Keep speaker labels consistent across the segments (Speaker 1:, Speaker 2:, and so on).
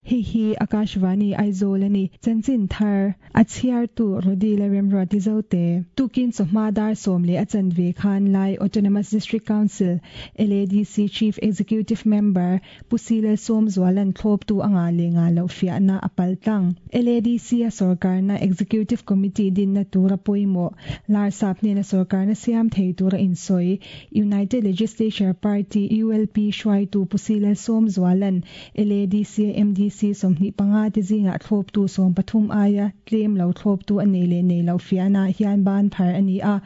Speaker 1: Hei hi Akashvani Aizawl a ni. Chanchin thar a chhiartu Rodi Lalremruati Zote. Tukin chawhma dar 10 a chanve khan Lai Autonomous District Council, LADC, Chief Executive Member Pu Si Lalsawmzuala'n thlawptu a ngah leh ngah loh fiahna a pal tlang. LADC a sawrkarna Executive Committee dinna tura pawimawh Larsap hnena sawrkarna siam thei tura insawi United Legislature Party, ULP, hruaitu Pu Si Lalsawmzuala'n LADC a MDC 25 te zingah thlawptu 13 aia tlem lo thlawptu a nei leh nei loh fiahnaah hian ban phar a ni a.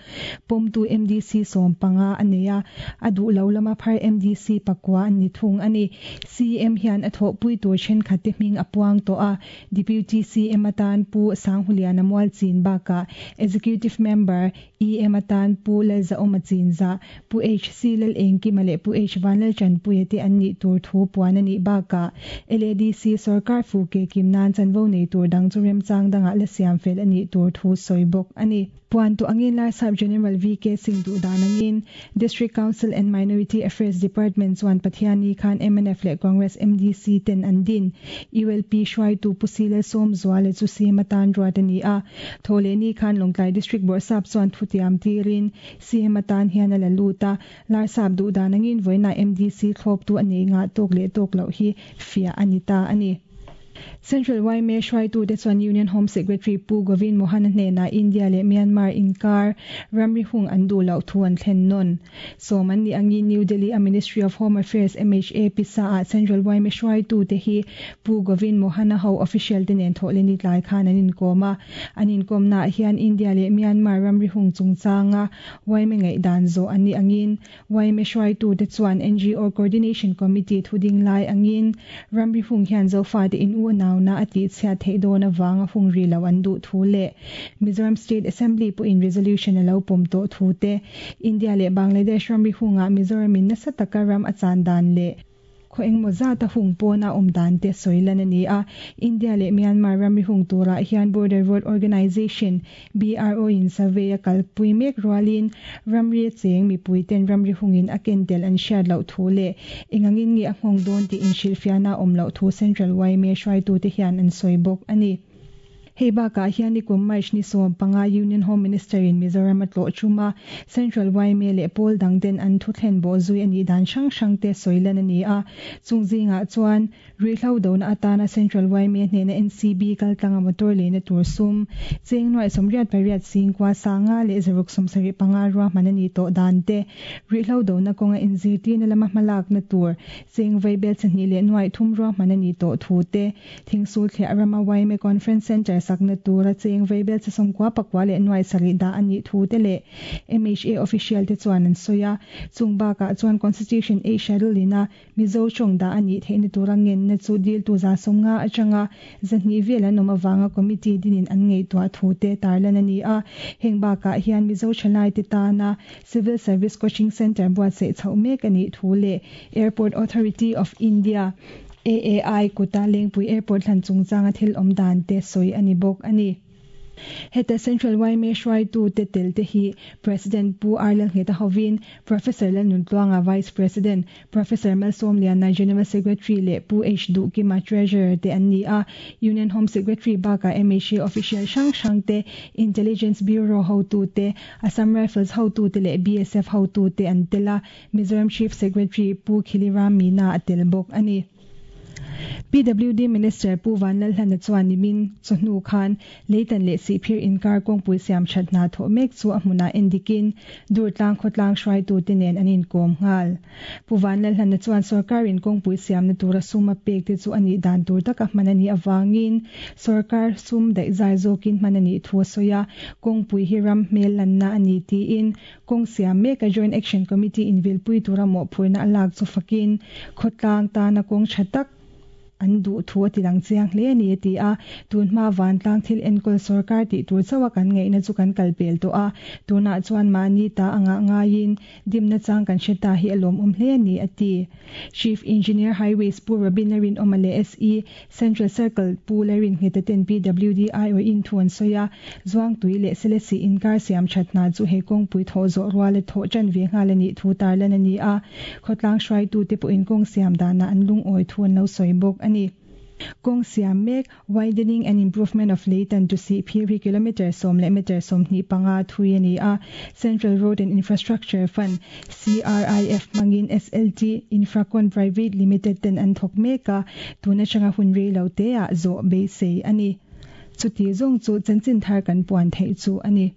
Speaker 1: Pawmtu MDC 15 a nei a, a duh lo lama phar MDC pakua an ni thung a ni. CM hian a thawhpui tur thenkhat te hming a puang tawh a, Deputy CM atan Pu Sanghuliana Mualchin bakah Executive Member, EM atan Pu Lalzahawma Chinzah, Pu HC Lalengkima leh Pu H Vanlaltanpuia te an nih tur thu puan a nih bakah LADC sawrkar fuh ke kim nan chanvo nei tur dang chu remchang dangah la siam fel a nih tur thu sawi bawk a ni. Puan tawh angin Larsap General VK Singh duh dan angin District Council and Minority Affairs Department chuan Pathianni khan mnf leh Congress MDC ten an din ULP hruaitu Pu Si Lalsawmzuala chu CM atan ruat a ni a. Thawhlehni khan Lawngtlai District Bawrhsap chuan thutiam tirin CM atan hian a la lut a, Larsap duh dan angin vawiinah MDC thlawptu a nei ngah tawk leh tawk loh hi fiah a ni ta a ni. Central yma hruaitute chuan Union Home Secretary Pu Govind Mohan-a hnenah India leh Myanmar inkar ramri hung an duh loh thu an thlen nawn. Sawm an nih angin New Delhi a Ministry of Home Affairs, MHA, pisa-ah Central yma hruaitute hi Pu Govind Mohan-a ho official te nen thawhleni tlai khan an inkawm a. An inkawmnaah hian India leh Myanmar ramri hung chungchanga yma ngaihdan zawh an nih angin yma hruaitute chuan NGO Coordination Committee thu ding lai angin ramri hung hian Zofate in u nauna a tihchhiat theih dawn avanga hung ri lo an duh thu leh Mizoram State Assembly pawhin resolution a lo pawm tawh thu te, India leh Bangladesh ramri hungah Mizoramin nasa taka ram a chan dan leh Khaw engmaw zata hung pawna awm dan te sawi lan a ni a. India leh Myanmar ramri hung turah hian Border Road Organisation, BRO, in survey a kalpui mek rualin ramri a cheng mipui ten ramri hungin a ken tel an hriat loh thu leh engangin nge a nghawng dawn tih inhrilhfiahna a awm loh thu Central yma hruaitute hian an sawi bawk a ni. Hei bakah hian nikum March ni 15 Union Home Minister in Mizoram a tlawh tum a, Central yma leh pawl dang ten an thu thlen bawh zui a nih dan hrang hrang te sawi lan a ni a. Chung zingah chuan ruihhlo dona atana Central yma hnena NCB kaltlanga motor leina tur sum cheng nuaih 88 singkua sanga leh 675 ruahman a nih tawh dan te, ruihhlo dona kawnga inzirtirna lama hmalakna tur cheng vaibel chahnih leh nuaih thum ruahman a nih tawh thu te, Thingsul thliah rama yma Conference Centre sakna tura cheng vaibel che 99 leh nuai sarih dah a nih thu te leh MHA official te chuan an sawi a. Chung bakah chuan Constitution A Schedule ina Mizo tawng dah a nih theihna tura ngenna chu diltu 50 atanga 200 vel an awm avanga committee dinin an ngaihtuah thu te tarlan a ni a. Heng bakah hian Mizo thalaite tana Civil Service Coaching Centre buatsaih chhoh mek a nih thu leh Airport Authority of India, AAI, kuta Lengpui Airport hlan chungchanga thil awm dan te sawi a ni bawk a ni. Heta Central yma hruaitute tel te hi President Pu R Lalngheta hovin Professor Lalnuntluanga Vice President, Professor Malsawmliana General Secretary leh Pu H Duhkima Treasurer te an ni a. Union Home Secretary bakah MHA official hrang hrang te, Intelligence Bureau hotute, Assam Rifles hotute leh BSF hotute an tel a. Mizoram Chief Secretary Pu Khiliram Meena a tel bawk a ni. PWD Minister Pu Vanlalhlana chuan nimin chawhnu khan Leitan leh Sihphir inkar kawngpui siam that hna thawh mek chu a hmunah en dikin Durtlang khawtlang hruaitute nen an inkawm nghal. Pu Vanlalhlana chuan sawrkarin kawngpui siamna tura sum a pek te chu a nih dan tur taka hman a nih avangin sawrkar sum daihzai zawkin hman a nih thu a sawi a, kawngpui hi ram hmel lanna a ni tiin Kawng siam meka Joint Action Committee invilpui tura mawhphurhna a lak chu fakin khawtlang tana kawng tha tak an duh thu a ti lang chiang hle a ni a ti a. Tun hma vantlang thil enkawl sawrkar tih tur chauha kan ngaihna chu kan kal pel tawh a, tunah chuan mahni ta a ngah ngaiin dimna chang kan hre ta hi a lawmawm hle a ni a ti. Chief Engineer Highways Pu Robin Larinawma leh SE Central Circle Pu Laringheta ten PWD aiawhin thu an sawi a, Zuangtui leh Selesih inkar siam that hna chu he kawngpui thawh zawh ruala thawh tan ve nghal a nih thu tarlan a ni a, khawtlang hruaitute pawhin kawng siam danah an lungawi thu an lo sawi bawk a ni. Kawng siam mek, Widening and Improvement of Leitan to Sihphir hi kilometre sawm leh metre 25 thui a ni a, Central Road and Infrastructure Fund, CRIF, hmangin SLT Infracon Private Limited ten an thawk mek a, tun atanga hun rei lo teah zawh beisei a ni. Chuti zawng chu chanchin thar kan puan theih chu a ni.